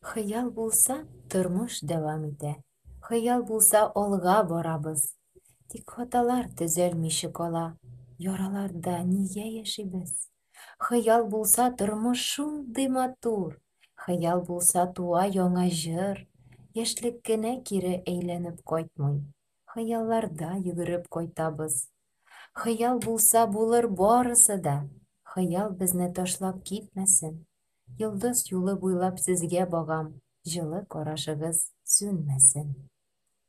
Хыял булса, тормыш дәвам итә, хыял булса, алга барабыз. Тик хаталар төзәлмичә кала, яраларда нигә яшибез? Хыял булса, тормыш шундый матур, хыял булса, туа яңа җыр. Яшьлек кенә кире әйләнеп кайтмый, хыялларда йөгереп кайтабыз. Хыял булса, булыр барысы да, хыял безне ташлап китмәсен. Йолдыз юлы буйлап сезгә багам, җылы карашыгыз сүнмәсен.